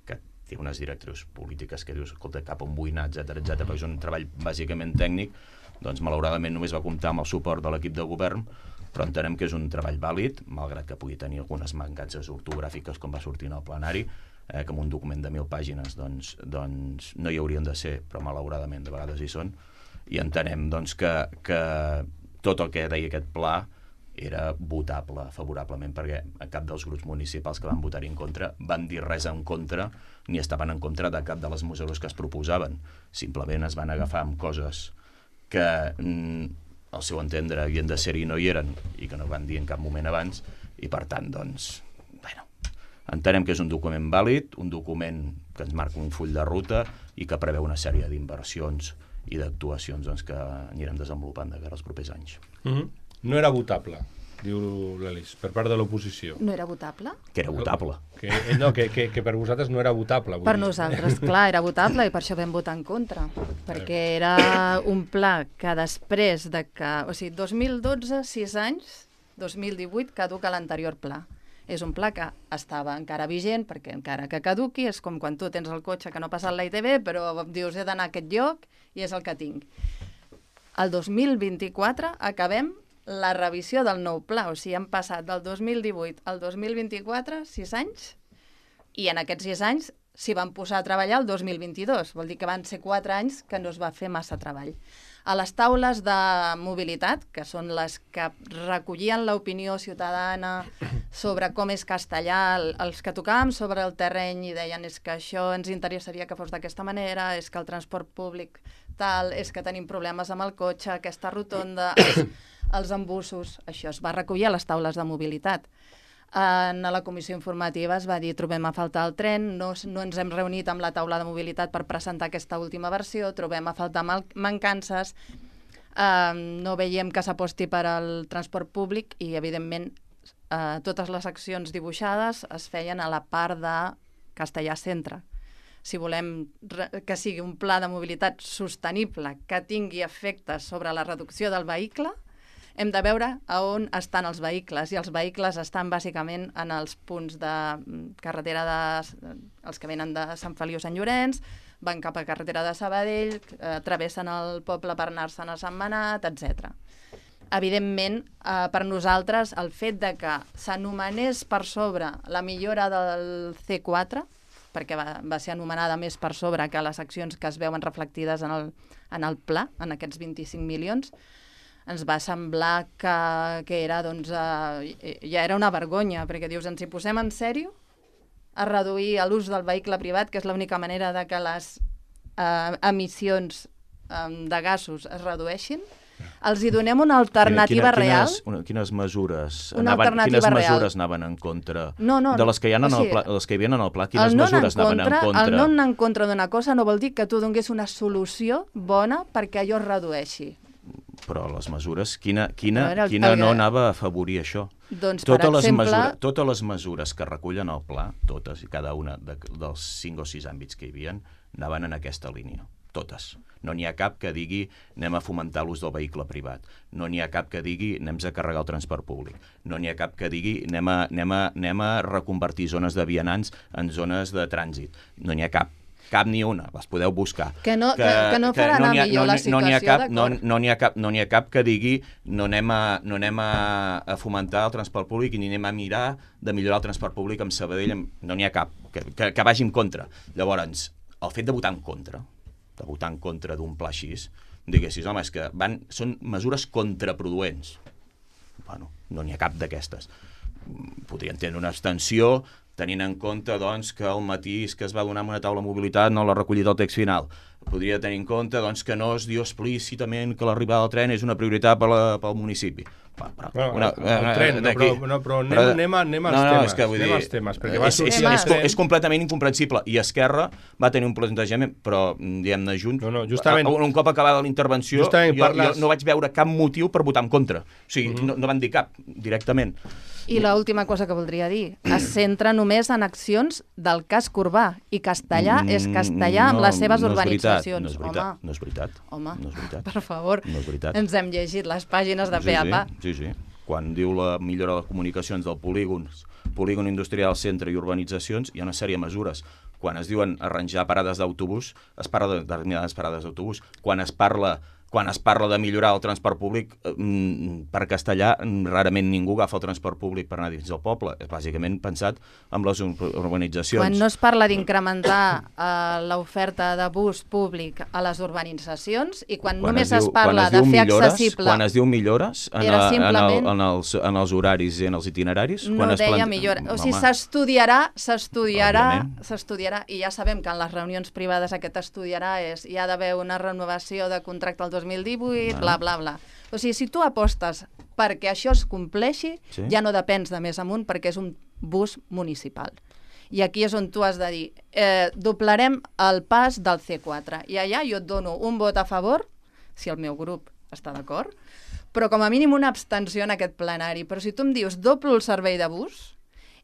que té unes directrius polítiques que dius, escolta, cap on vull anar, etcètera, etcètera, perquè és un treball bàsicament tècnic, doncs malauradament només va comptar amb el suport de l'equip de govern, però entenem que és un treball vàlid, malgrat que pugui tenir algunes mancances ortogràfiques com va sortir en el plenari, eh, que en un document de mil pàgines doncs, doncs no hi haurien de ser, però malauradament de vegades hi són, i entenem doncs, que, que tot el que deia aquest pla era votable favorablement, perquè cap dels grups municipals que van votar-hi en contra van dir res en contra ni estaven en contra de cap de les mesures que es proposaven. Simplement es van agafar amb coses que mm, al seu entendre havien de ser-hi i no hi eren i que no van dir en cap moment abans, i per tant, doncs, bueno, entenem que és un document vàlid, un document que ens marca un full de ruta i que preveu una sèrie d'inversions i d'actuacions doncs, que anirem desenvolupant de cara als propers anys. Mm-hmm. No era votable, diu l'Elis, per part de l'oposició. No era votable? Que era votable. Que, no, que, que, que per vosaltres no era votable. Per dir. nosaltres, clar, era votable i per això vam votar en contra, perquè era un pla que després de que... O sigui, dos mil dotze, sis anys, dos mil divuit caduca l'anterior pla. És un pla que estava encara vigent, perquè encara que caduqui, és com quan tu tens el cotxe que no ha passat la I T V, però dius he d'anar a aquest lloc i és el que tinc. El dos mil vint-i-quatre acabem la revisió del nou pla, o sigui, han passat del dos mil divuit al dos mil vint-i-quatre, sis anys, i en aquests sis anys s'hi van posar a treballar el dos mil vint-i-dos, vol dir que van ser quatre anys que no es va fer massa treball. A les taules de mobilitat, que són les que recollien l'opinió ciutadana sobre com és Castellà, els que tocàvem sobre el terreny i deien és que això ens interessaria que fos d'aquesta manera, és que el transport públic tal, és que tenim problemes amb el cotxe, aquesta rotonda, els, els embussos, això es va recollir a les taules de mobilitat. En la comissió informativa es va dir trobem a faltar el tren, no, no ens hem reunit amb la taula de mobilitat per presentar aquesta última versió, trobem a faltar mancances, eh, no veiem que s'aposti per al transport públic i, evidentment, eh, totes les accions dibuixades es feien a la part de Castellà Centre. Si volem que sigui un pla de mobilitat sostenible que tingui efectes sobre la reducció del vehicle, hem de veure a on estan els vehicles, i els vehicles estan bàsicament en els punts de carretera, de, els que venen de Sant Feliu Sant Llorenç, van cap a carretera de Sabadell, eh, travessen el poble per anar-se'n a Sant Manat, etcètera. Evidentment, eh, per nosaltres, el fet de que s'anomenés per sobre la millora del C quatre, perquè va, va ser anomenada més per sobre que les accions que es veuen reflectides en el, en el pla, en aquests vint-i-cinc milions, ens va semblar que, que era, doncs, eh, ja era una vergonya, perquè dius, ens hi posem en sèrio a reduir l'ús del vehicle privat, que és l'única manera de que les eh, emissions eh, de gasos es redueixin. Els hi donem una alternativa Quina, real. Quines, una, quines mesures Una anaven, alternativa quines real. mesures anaven en contra No, no, de les que hi ha en o sigui, el pla, les que hi havia en el pla? Quines el no mesures en anaven contra, en contra? El no anar en contra d'una cosa no vol dir que tu dongués una solució bona perquè allò es redueixi. Però les mesures, quina, quina, A veure, el- quina el- no anava a afavorir això? Doncs, Totes per les, exemple, mesures, totes les mesures que recullen el pla, totes i cada una de, dels cinc o sis àmbits que hi havia, anaven en aquesta línia. Totes. No n'hi ha cap que digui anem a fomentar l'ús del vehicle privat. No n'hi ha cap que digui anem a carregar el transport públic. No n'hi ha cap que digui anem a, anem a, anem a reconvertir zones de vianants en zones de trànsit. No n'hi ha cap. Cap ni una, les podeu buscar. Que no, que, que no farà anar ha, millor no, la no situació, n'hi ha cap, no, d'acord? no n'hi ha cap, no n'hi ha cap que digui no anem, a, no anem a, a fomentar el transport públic i ni anem a mirar de millorar el transport públic amb Sabadell, amb... no n'hi ha cap que, que, que vagi en contra. Llavors, el fet de votar en contra, de votar en contra d'un pla així, diguessis, home, és que van, són mesures contraproduents. Bueno, no n'hi ha cap d'aquestes. Podrien tenir una abstenció, tenint en compte doncs, que el matís que es va donar amb una taula de mobilitat no l'ha recollit el text final. Podria tenir en compte doncs, que no es diu explícitament que l'arribada del tren és una prioritat per la, pel municipi. Però, bueno, una, el tren, no, però, no, però anem, però, anem, anem als no, no, temes, és que, vull anem dir, als temes, perquè va és, sortir és, el és, tren... és completament incomprensible, i Esquerra va tenir un plantejament, però, diguem-ne, Junts, no, no, justament, un cop acabada la intervenció, jo, parles... jo no vaig veure cap motiu per votar en contra. O sigui, mm-hmm. no, no van dir cap, directament. I l'última cosa que voldria dir, es centra només en accions del casc urbà, i Castellà és Castellà amb no, les seves no urbanitzacions. No és veritat, no és veritat. Home, no és veritat. per favor, no és veritat. ens hem llegit les pàgines de sí, pe a pa. Sí, sí, sí. Quan diu la millora de les comunicacions del polígon, polígon industrial, centre i urbanitzacions, hi ha una sèrie de mesures. Quan es diuen arranjar parades d'autobús, es parla de determinades parades d'autobús. Quan es parla quan es parla de millorar el transport públic, per Castellà rarament ningú agafa el transport públic per anar dins del poble. És bàsicament pensat en les urbanitzacions. Quan no es parla d'incrementar uh, l'oferta de bus públic a les urbanitzacions i quan, quan només es, diu, es parla es de fer millores, accessible... Quan es diu millores en, a, simplement... en, el, en, els, en els horaris i en els itineraris... No quan es deia plant... millora. O sigui, s'estudiarà, s'estudiarà, s'estudiarà, i ja sabem que en les reunions privades aquest estudiarà és hi ha d'haver una renovació de contracte al dos mil divuit, bla, bla, bla. O sigui, si tu apostes perquè això es compleixi, sí? Ja no depens de més amunt perquè és un bus municipal. I aquí és on tu has de dir, eh, doblarem el pas del ce quatre. I allà jo et dono un vot a favor, si el meu grup està d'acord, però com a mínim una abstenció en aquest plenari. Però si tu em dius doblo el servei de bus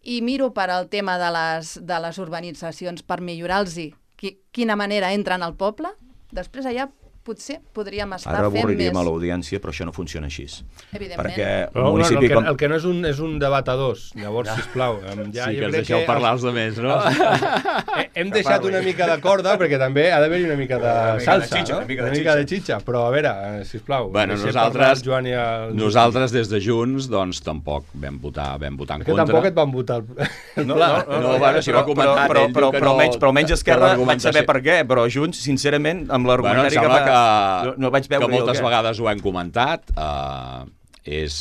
i miro per al tema de les, de les urbanitzacions per millorar-los qui, quina manera entren al poble, després allà potser podríem estar Ara fent més... Ara avorriríem a l'audiència, però això no funciona així. Evidentment. Perquè però, el municipi... No, el, que, com... el que no és un, és un debat a dos, llavors, ja. sisplau. Ja, sí, que ens deixeu que parlar els altres, no? Hem deixat parli. una mica de corda, perquè també ha d'haver-hi una mica de una salsa, mica de xitxa, no? Una mica de, una mica de xitxa. Però, a veure, sisplau, bueno, nosaltres, Joan i el... nosaltres des de Junts, doncs, tampoc vam votar, vam votar en perquè contra. Que tampoc et van votar el, el no, pla. No, no, no, no bueno, si va comentar però, però, però, però, no, almenys, però almenys Esquerra vaig saber per què, però Junts, sincerament, amb l'argumentari bueno, que va... Que... No vaig veure que moltes vegades ho hem comentat, eh, és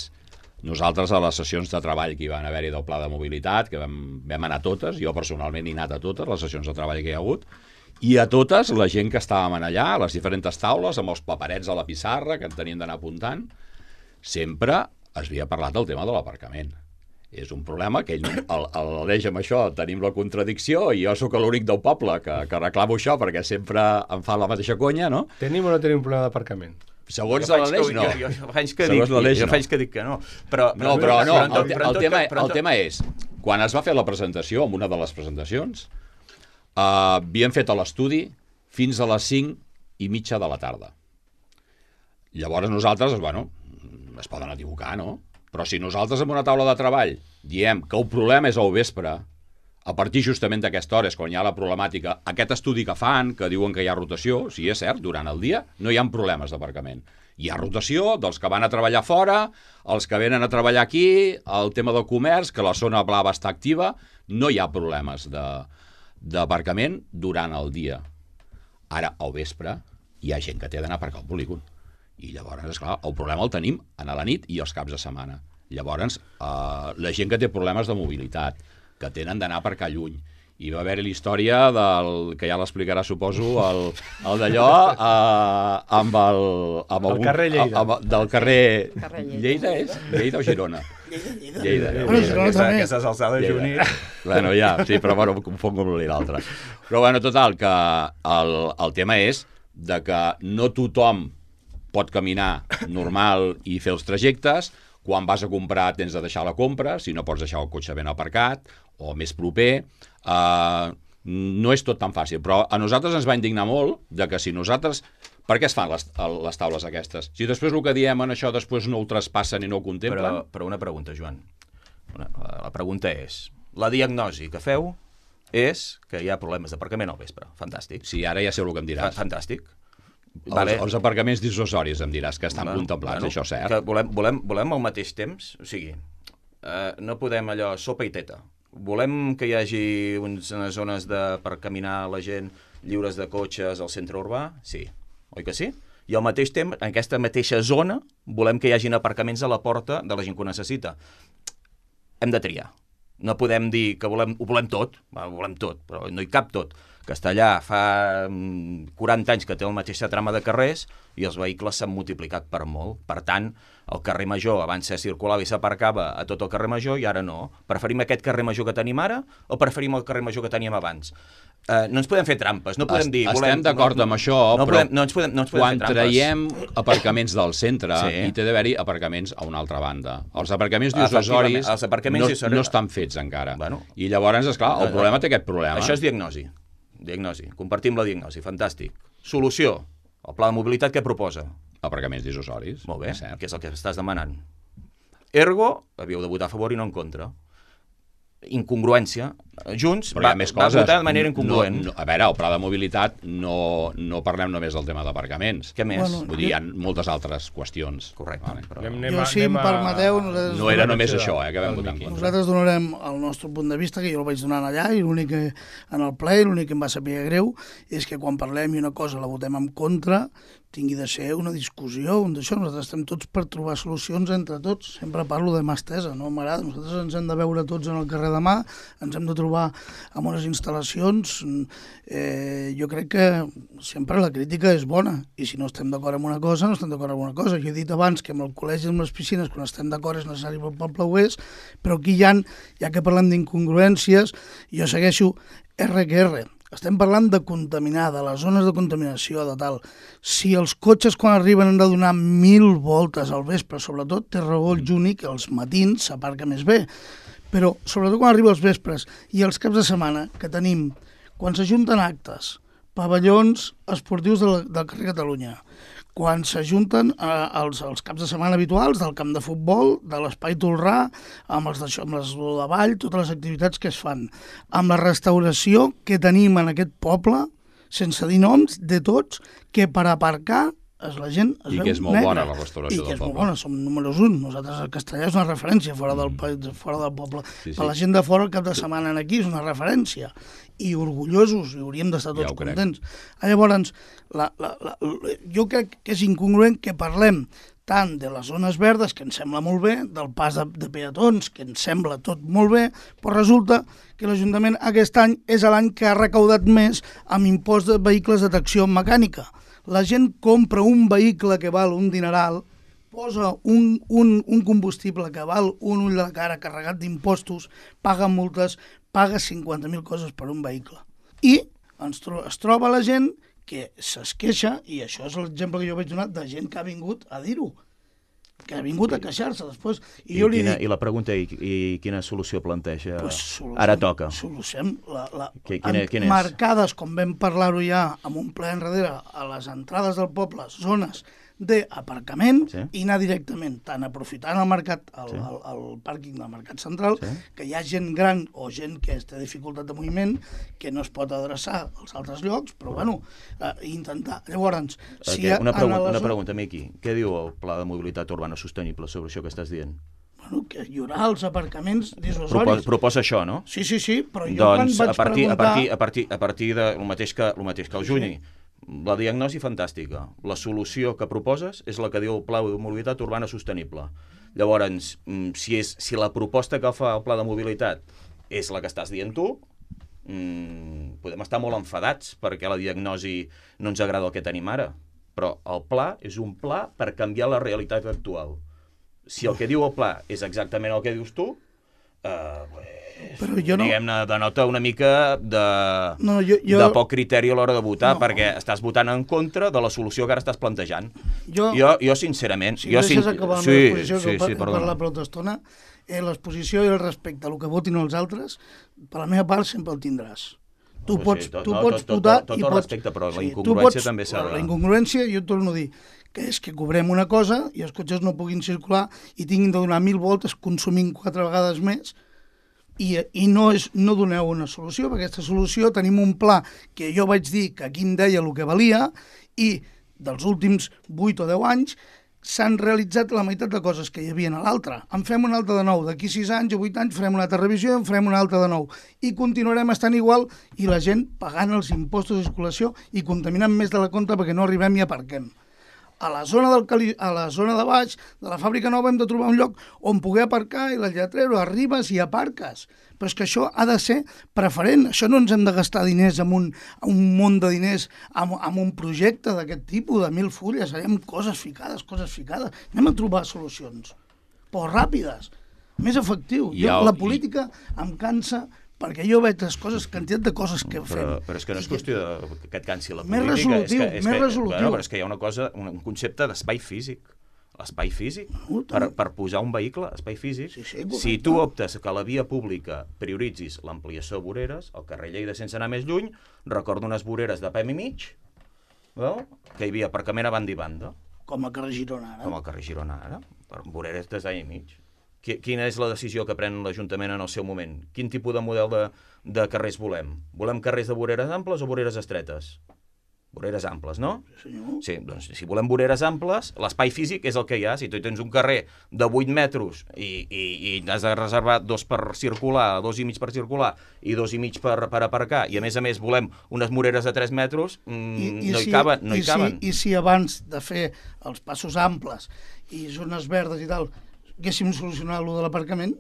nosaltres a les sessions de treball que hi van haver-hi del pla de mobilitat, que vam, vam anar a totes, jo personalment he anat a totes les sessions de treball que hi ha hagut, i a totes la gent que estàvem allà, a les diferents taules, amb els paperets a la pissarra que en tenien d'anar apuntant, sempre es havia parlat del tema de l'aparcament. És un problema que ell, el, el, l'Aleix amb això tenim la contradicció i jo sóc l'únic del poble que, que reclamo això perquè sempre em fa la mateixa conya, no? Tenim o no tenim un problema d'aparcament? Segons l'Aleix, no. Jo, jo, jo, faig que dic, jo no. faig que dic que no. Però, no, però, però no, el, el, el, tema, el tema és, quan es va fer la presentació, en una de les presentacions, uh, havien fet l'estudi fins a les cinc i mitja de la tarda. Llavors nosaltres, bueno, es poden equivocar, no? Però si nosaltres en una taula de treball diem que el problema és al vespre, a partir justament d'aquesta hora és quan hi ha la problemàtica, aquest estudi que fan, que diuen que hi ha rotació, sí, és cert, durant el dia no hi ha problemes d'aparcament. Hi ha rotació dels que van a treballar fora, els que venen a treballar aquí, el tema del comerç, que la zona blava està activa, no hi ha problemes d'aparcament durant el dia. Ara, al vespre, hi ha gent que té d'anar a aparcar al polígon. I llavors, esclar, el problema el tenim a la nit i els caps de setmana. Llavors, eh, la gent que té problemes de mobilitat, que tenen d'anar a aparcar lluny, i va haver-hi la història del, que ja l'explicarà, suposo, el, el d'allò eh, amb el... Amb el algun, carrer Lleida. Amb, del carrer... carrer Lleida. Lleida és? Lleida o Girona? Lleida, Lleida. Lleida. Bueno, Girona aquesta, també. Aquestes alçades, Juni. Bueno, ja, sí, però bueno, em confongo amb l'altre. Però bueno, total, que el, el tema és de que no tothom pot caminar normal i fer els trajectes. Quan vas a comprar tens de deixar la compra, si no pots deixar el cotxe ben aparcat o més proper. Uh, no és tot tan fàcil, però a nosaltres ens va indignar molt de que si nosaltres... Per què es fan les, les taules aquestes? Si després el que diem en això després no ho traspassen i no ho contemplen... Però, però una pregunta, Joan. Una, la pregunta és, la diagnosi que feu és que hi ha problemes d'aparcament al vespre. Fantàstic. Sí, ara ja sé el que em diràs. Fantàstic. Vale. Els, els aparcaments dissuasoris, em diràs, que estan bueno, contemplats, bueno, això cert. Que volem, volem, volem al mateix temps, o sigui, eh, no podem allò sopa i teta. Volem que hi hagi unes zones de, per caminar la gent lliures de cotxes al centre urbà? Sí. Oi que sí? I al mateix temps, en aquesta mateixa zona, volem que hi hagin aparcaments a la porta de la gent que ho necessita. Hem de triar. No podem dir que volem, ho volem tot, ho volem tot, però no hi cap tot. Castellà fa quaranta anys que té la mateixa trama de carrers i els vehicles s'han multiplicat per molt. Per tant, el carrer Major abans se circulava i s'aparcava a tot el carrer Major i ara no. Preferim aquest carrer Major que tenim ara o preferim el carrer Major que teníem abans? Uh, no ens podem fer trampes, no podem dir... Estem volem, d'acord no, amb això, no però podem, no ens podem, no ens podem quan fer trampes. traiem aparcaments del centre, Sí. hi té d'haver-hi aparcaments a una altra banda. Els aparcaments diocessoris Efectivament, els aparcaments no, diocessoris- no estan fets encara. Bueno. I llavors, esclar, el problema té aquest problema. Això és diagnosi. Diagnosi. Compartim la diagnosi, fantàstic. Solució. El pla de mobilitat què proposa? Aparcaments diocessoris. Molt bé, és cert. què és el que estàs demanant? Ergo, havíeu de votar a favor i no en contra. Incongruència. Junts Però hi va, ha més va coses. votar de manera incongruent. No, no, a veure, el pla de mobilitat no, no parlem només del tema d'aparcaments. Què més? Bueno, Vull dir, hi ha moltes altres qüestions. Correcte. Vale. Però... Anem, anem, Jo, a- si anem em a- permeteu, nosaltres- No era només Sí, això, eh, que vam el votar en Miqui. contra. Nosaltres donarem el nostre punt de vista, que jo el vaig donar allà, i l'únic que en el ple, i l'únic que em va saber greu, és que quan parlem i una cosa la votem en contra, tingui de ser una discussió, un d'això. Nosaltres estem tots per trobar solucions entre tots. Sempre parlo de mà estesa, no m'agrada. Nosaltres ens hem de veure tots en el carrer demà, ens hem de trobar amb unes instal·lacions. Eh, jo crec que sempre la crítica és bona, i si no estem d'acord amb una cosa, no estem d'acord amb una cosa. Jo he dit abans que amb el col·legi i amb les piscines, quan estem d'acord és necessari pel poble ho és, però aquí hi ha, ja que parlem d'incongruències, jo segueixo R que R. Estem parlant de contaminar, de les zones de contaminació, de tal. Si els cotxes quan arriben han de donar mil voltes al vespre, sobretot té raó el Juni que els matins s'aparca més bé, però sobretot quan arriba els vespres i els caps de setmana que tenim, quan s'ajunten actes, pavellons esportius del, del carrer Catalunya, quan s'ajunten eh, els, els caps de setmana habituals del camp de futbol, de l'espai Tolrà, amb els d'això, amb les de ball, totes les activitats que es fan, amb la restauració que tenim en aquest poble, sense dir noms, de tots, que per aparcar es, la gent es I veu que és molt negra. bona la restauració I del que és molt poble. bona, som números un. Nosaltres a Castellà és una referència fora del, país, fora del poble. Sí, sí. Per la gent de fora el cap de setmana aquí és una referència. I orgullosos, i hauríem d'estar tots Ja ho crec. contents. Ah, llavors, la, la, la, jo crec que és incongruent que parlem tant de les zones verdes, que ens sembla molt bé, del pas de, de peatons, que ens sembla tot molt bé, però resulta que l'Ajuntament aquest any és l'any que ha recaudat més amb impost de vehicles de tracció mecànica. La gent compra un vehicle que val un dineral, posa un, un, un combustible que val un ull de la cara carregat d'impostos, paga multes, paga cinquanta mil coses per un vehicle. I ens tro es troba la gent que es queixa, i això és l'exemple que jo vaig donar, de gent que ha vingut a dir-ho, que ha vingut a queixar-se després. I, I, jo li quina, dic, I la pregunta, i, i quina solució planteja? pues, soluciem, Ara toca. Soluciem la, la, Qui- quina- en- quina és? marcades, com vam parlar-ho ja amb un ple enrere, a les entrades del poble, zones d'aparcament, Sí. i anar directament, tant aprofitant el mercat, el, Sí. el, el pàrquing del mercat central, Sí. que hi ha gent gran o gent que té dificultat de moviment, que no es pot adreçar als altres llocs, però bueno, eh, intentar. Llavors, si Okay, una, en pregunta, la una zona- pregunta, Miqui. Què diu el Pla de Mobilitat Urbana Sostenible sobre això que estàs dient? Bueno, que hi haurà els aparcaments Proposa, dissuasoris. proposa això, no? Sí, sí, sí, però jo Doncs quan a vaig partir, a preguntar... partir, a partir, a partir de el mateix que, el mateix que el Juni, la diagnosi fantàstica. La solució que proposes és la que diu el Pla de Mobilitat Urbana Sostenible. Llavors, mm, si, és, si la proposta que fa el Pla de Mobilitat és la que estàs dient tu, mmm, podem estar molt enfadats perquè la diagnosi no ens agrada el que tenim ara. Però el pla és un pla per canviar la realitat actual. Si el que diu el pla és exactament el que dius tu, eh, pues, Però jo no- diguem-ne, denota una mica de, No, jo- jo- de poc criteri a l'hora de votar, No. perquè estàs votant en contra de la solució que ara estàs plantejant. Jo, Jo, jo sincerament... si jo, em deixes sin- acabar la sí, meva exposició, sí, que sí, he perdona. parlat per altra estona, eh, l'exposició i el respecte a el que votin els altres, per la meva part sempre el tindràs. Tu Sí, pots, tot- tu no, pots tot- tot- votar tot i el pots... respecte, però la tu incongruència pots- també s'ha de- La incongruència, jo et torno a dir, que és que cobrem una cosa i els cotxes no puguin circular i tinguin de donar mil voltes consumint quatre vegades més, i, i no, és, no doneu una solució. Per aquesta solució tenim un pla que jo vaig dir que aquí em deia el que valia, i dels últims vuit o deu anys s'han realitzat la meitat de coses que hi havia a l'altre. En fem una altra de nou. D'aquí sis anys o vuit anys farem una altra revisió i en farem una altra de nou. I continuarem estant igual, i la gent pagant els impostos de circulació i contaminant més de la compta perquè no arribem i aparquem. a la zona, del Cali, a la zona de baix de la fàbrica nova hem de trobar un lloc on poder aparcar i la lletrero arribes i aparques. Però és que això ha de ser preferent. Això no ens hem de gastar diners amb un, un munt de diners amb, amb un projecte d'aquest tipus, de mil fulles. Harem coses ficades, coses ficades. Anem a trobar solucions, però ràpides, més efectiu. Jo, Ja, la política em cansa perquè jo veig les coses, quantitat de coses que fem. Però, però és que no és qüestió de, que et cansi la Més política. resolutiu, és que, és més que, resolutiu. Bueno, però és que hi ha una cosa, un, un concepte d'espai físic. L'espai físic, per, per posar un vehicle, espai físic. Sí, sí, correcte. Si tu optes que a la via pública prioritzis l'ampliació de voreres, el carrer Lleida sense anar més lluny, recordo unes voreres de P M i mig, veu? Que hi havia aparcament a banda i banda. Com a carrer Girona, ara. Com al carrer Girona ara, per voreres de any i mig. Quina és la decisió que pren l'Ajuntament en el seu moment? Quin tipus de model de, de carrers volem? Volem carrers de voreres amples o voreres estretes? Voreres amples, no? Sí, senyor. Sí, doncs si volem voreres amples, l'espai físic és el que hi ha. Si tu tens un carrer de vuit metres i, i, i has de reservar dos per circular, dos i mig per circular i dos i mig per, per aparcar, i a més a més volem unes voreres de tres metres, mmm, I, i no si, hi caben. No i hi caben. Si, I si abans de fer els passos amples i zones verdes i tal, haguéssim solucionat allò de l'aparcament,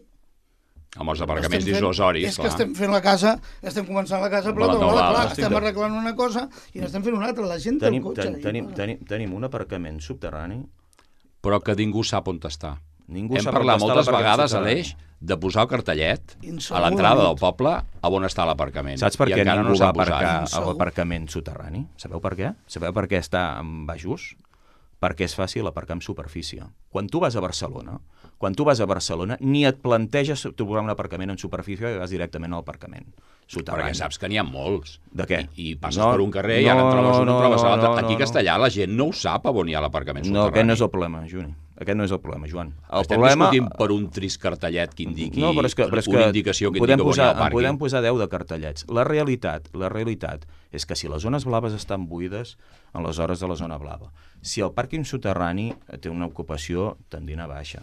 Amb els aparcaments estem fent- dissuasoris, És que clar. estem fent la casa, estem començant la casa, però La tota vegada, teulada. clar, estem arreglant una cosa i n'estem fent una altra. La gent té el Tenim, cotxe. ten, i tenim, va. tenim, tenim un aparcament subterrani. Però que ningú sap on està. Ningú Hem sap parlat on està moltes l'aparcament vegades, subterrani. Aleix, de posar el cartellet Insegur a l'entrada la del nit. poble a on està l'aparcament. Saps per I què encara ningú no va s'ha posat. aparcar a Segur. l'aparcament soterrani? Sabeu per què? Sabeu per què està en baixos? Perquè és fàcil aparcar en superfície. Quan tu vas a Barcelona, quan tu vas a Barcelona, ni et planteges trobar un aparcament en superfície i vas directament al aparcament soterrani. Perquè saps que n'hi ha molts. De què? I, i passes No, per un carrer i no, ara en trobes un, no, en trobes no, l'altre. no, Aquí no, a Castellà la gent no ho sap on hi ha l'aparcament No, soterrani. aquest no és el problema, Juni. Aquest no és el problema, Joan. El Estem problema... discutint per un trist cartellet que indiqui No, però és que, però és una que indicació que podem indica on hi posar, ha el en pàrquing. podem posar deu de cartellets. La realitat, la realitat és que si les zones blaves estan buides en les hores de la zona blava, si el pàrquing soterrani té una ocupació tendint a baixa,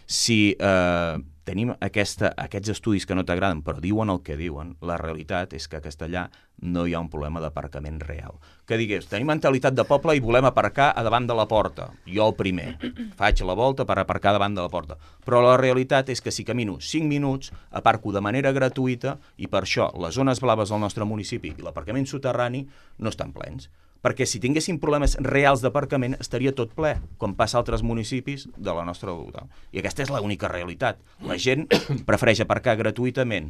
si eh, tenim aquesta, aquests estudis que no t'agraden però diuen el que diuen, la realitat és que a Castellà no hi ha un problema d'aparcament real. Que digués, tenim mentalitat de poble i volem aparcar a davant de la porta. Jo el primer. Faig la volta per aparcar davant de la porta. Però la realitat és que si camino cinc minuts, aparco de manera gratuïta i per això les zones blaves del nostre municipi i l'aparcament soterrani no estan plens. Perquè si tinguéssim problemes reals d'aparcament estaria tot ple, com passa a altres municipis de la nostra ciutat. I aquesta és l'única realitat. La gent prefereix aparcar gratuïtament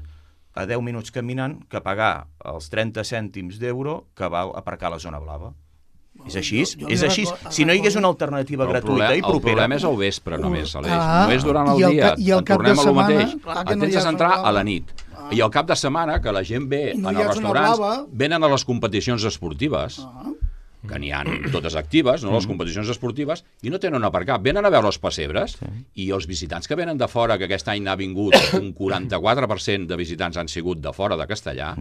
a deu minuts caminant que pagar els trenta cèntims d'euro que val aparcar a la zona blava. És així? Jo- jo És li així? recordo- Si no hi hagués una alternativa Però el gratuïta problema, i el propera... problema és al vespre només, Aleix. Ah, no és durant el i el dia. ca- i el En cap de tornem a lo setmana, mateix. clar que Et no hi tens ha de centrar zona a la blava. nit. Ah. I al cap de setmana, que la gent ve I no en hi ha els zona restaurants, blava. venen a les competicions esportives, Ah. que n'hi ha totes actives, no? Les competicions esportives, i no tenen on aparcar. Venen a veure els pessebres, i els visitants que venen de fora, que aquest any n'ha vingut un quaranta-quatre per cent de visitants han sigut de fora de Castellà,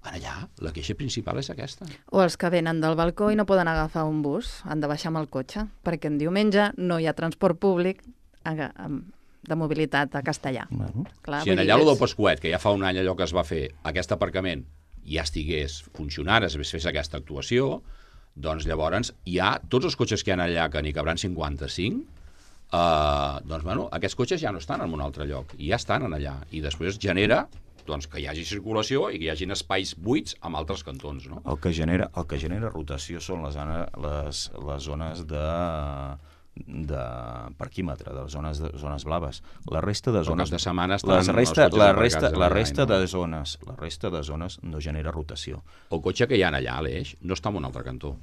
allà la queixa principal és aquesta. O els que venen del balcó i no poden agafar un bus, han de baixar amb el cotxe, perquè en diumenge no hi ha transport públic a- a- de mobilitat a Castellà. Bueno. Clar, Si vull en dir, allà, lo és- del Pasquet, que ja fa un any allò que es va fer, aquest aparcament ja estigués funcionant, es fes aquesta actuació, doncs llavors hi ha tots els cotxes que hi ha allà, que n'hi cabran cinquanta-cinc, eh, doncs bueno, aquests cotxes ja no estan en un altre lloc, i ja estan en allà, i després genera doncs, que hi hagi circulació i que hi hagin espais buits amb altres cantons, no? El que genera, el que genera rotació són les, zona, les, les zones de de parquímetre, de les zones, de, zones blaves. La resta de Però zones... cap de setmana estan les els resta, cotxes la aparcats resta, allà, la resta no? de zones, la resta de zones no genera rotació. El cotxe que hi ha allà, Aleix, no està en un altre cantó.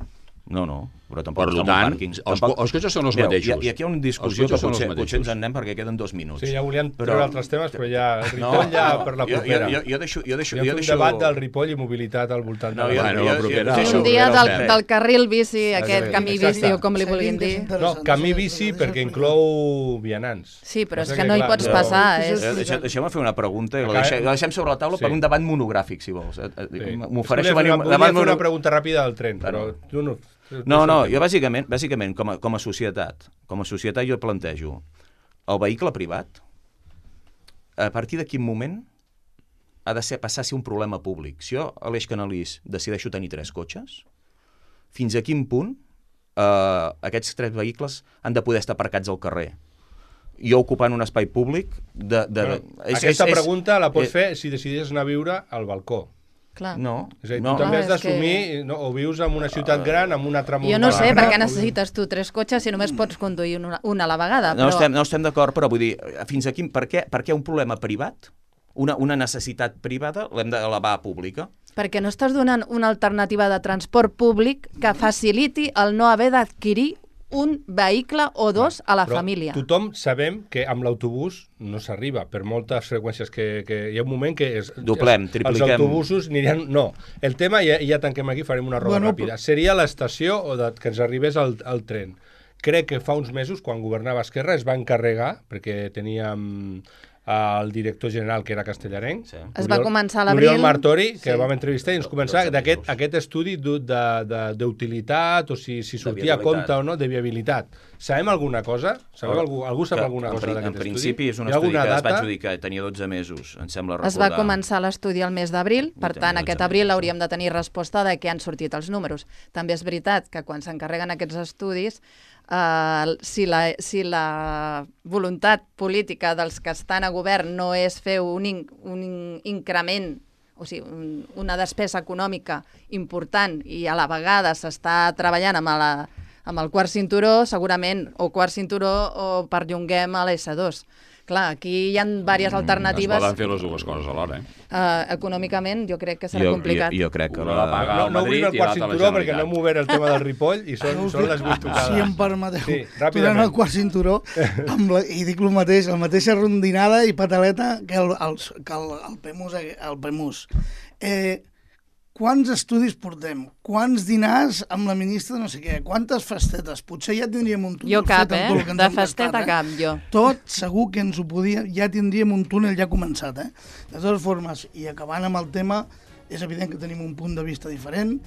No, no, però tampoc Per està en un tant, pàrquing. els Tampoc... co- els cotxes són els Mireu, mateixos. I, I aquí hi ha una discussió Els que cotxes són els potser, mateixos. potser ens en anem perquè queden dos minuts. Sí, ja volíem Però- treure altres temes, però ja el Ripoll ja per la jo, jo, propera. jo, jo deixo... Jo deixo, Podríem jo fer un deixo... debat del Ripoll i mobilitat al voltant No, de jo, la... Bueno, jo, la propera. jo, Sí, jo, un dia jo, del, jo, del carril bici, aquest Exacte. camí bici o com li Seguim, vulguin que és dir. No, interessant. camí Deixa- bici deixa perquè explicar. inclou vianants. Sí, però és Passa que no hi clar, pots jo- passar. Sí, És... sí, Eh, deixa- Deixeu-me fer una pregunta i la Acabem- deixem, la deixem sobre la taula Sí. per un debat monogràfic, si vols. Eh, eh, Sí. M'ofereixo Volia fer venir... una, un volia debat fer una mono- pregunta ràpida del tren, però tu no... No, no, jo bàsicament, bàsicament com, a, com a societat, com a societat jo plantejo el vehicle privat, a partir de quin moment ha de ser, passar a ser un problema públic. Si jo, Aleix Canalís, decideixo tenir tres cotxes, fins a quin punt eh, aquests tres vehicles han de poder estar aparcats al carrer. Jo ocupant un espai públic... De, de, bueno, és, aquesta és, pregunta la pots és, fer si decidis anar a viure al balcó. Clar. No, És a dir, no. tu també Ah, has és d'assumir, que- no, o vius en una ciutat gran, amb una altra Jo no sé, muntanya, per què o necessites tu tres cotxes si només pots conduir una, una a la vegada. No Però... estem, no estem d'acord, però vull dir, fins aquí, per què, per què un problema privat, una, una necessitat privada, l'hem d'elevar a pública? Perquè no estàs donant una alternativa de transport públic que faciliti el no haver d'adquirir un vehicle o dos a la Però família. tothom sabem que amb l'autobús no s'arriba, per moltes freqüències que, que hi ha un moment que... És, Doblem, és, tripliquem. Els autobusos anirien... No, el tema, ja, ja tanquem aquí, farem una roda Bueno, ràpida. Seria l'estació o de, que ens arribés el, el tren. Crec que fa uns mesos, quan governava Esquerra, es va encarregar, perquè teníem el director general, que era castellarenc, Sí. Es va començar a l'abril. Oriol Martori, que Sí. vam entrevistar i ens Do- començava dotze d'aquest mesos. aquest estudi d'u- de- de- d'utilitat, o si, si sortia a viabilitat. compte o no, de viabilitat. Sabem alguna cosa? Sabeu algú, algú sap Que, alguna en cosa pri- d'aquest En estudi? principi és un Hi ha estudi que alguna es va data? adjudicar, tenia dotze mesos, em sembla recordar. Es va començar l'estudi al mes d'abril, per tenia tant, dotze aquest abril mesos, hauríem de tenir resposta de què han sortit els números. També és veritat que quan s'encarreguen aquests estudis, eh, si, la, si la voluntat política dels que estan a govern no és fer un, in, un in, increment, o sigui, un, una despesa econòmica important i a la vegada s'està treballant amb, la, amb el quart cinturó, segurament, o quart cinturó o perllonguem a l'S dos. Clar, aquí hi ha diverses alternatives. Es poden fer les dues coses alhora, eh? Uh, econòmicament jo crec que serà Jo, complicat. jo, jo crec que Una la... la paga No, al no Madrid obrim el i quart l'altra a la cinturó perquè Generalitat. no hem obert el tema del Ripoll i són, són les vuit tocades. Si em permeteu, Sí, tornant ràpidament. al quart cinturó, amb la, i dic el mateix, la mateixa rondinada i pataleta que el, el, que el, el PEMUS. El PEMUS. Eh, quants estudis portem? Quants dinars amb la ministra no sé què? Quantes festetes? Potser ja tindríem un túnel Jo cap, fet amb tot el eh? que ens De hem festeta gastat, eh? cap, jo. Tot segur que ens ho podia... Ja tindríem un túnel ja començat, eh? De totes formes, i acabant amb el tema, és evident que tenim un punt de vista diferent.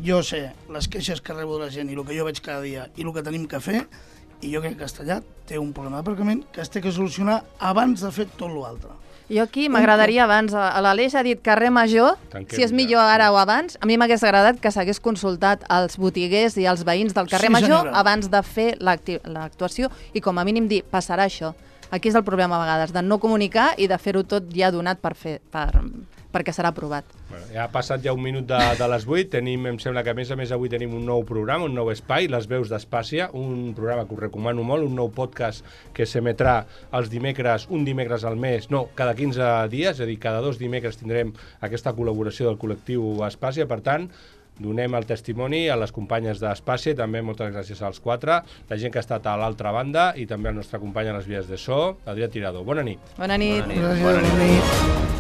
Jo sé les queixes que rebo de la gent i el que jo veig cada dia i el que tenim que fer, i jo crec que Castellà té un problema d'aparcament que es té que solucionar abans de fer tot l'altre. Jo aquí m'agradaria abans, a l'Aleix ha dit carrer Major, Tanquem si és ja. millor ara o abans, a mi m'hagués agradat que s'hagués consultat als botiguers i als veïns del carrer Sí, Major senyora. abans de fer l'acti- l'actuació i com a mínim dir, passarà això. Aquí és el problema a vegades, de no comunicar i de fer-ho tot ja donat per fer, per, perquè serà aprovat. Bueno, ja ha passat ja un minut de, de les vuit, tenim, em sembla que a més a més avui tenim un nou programa, un nou espai, Les Veus d'Espàcia, un programa que us recomano molt, un nou podcast que s'emetrà els dimecres, un dimecres al mes, no, cada quinze dies, és a dir, cada dos dimecres tindrem aquesta col·laboració del col·lectiu Espàcia, per tant, donem el testimoni a les companyes d'Espàcia, també moltes gràcies als quatre, la gent que ha estat a l'altra banda i també al nostre company a les vies de so, Adrià Tirado. Bona nit. Bona nit. Bona nit. Gràcies, Bona nit. bona nit.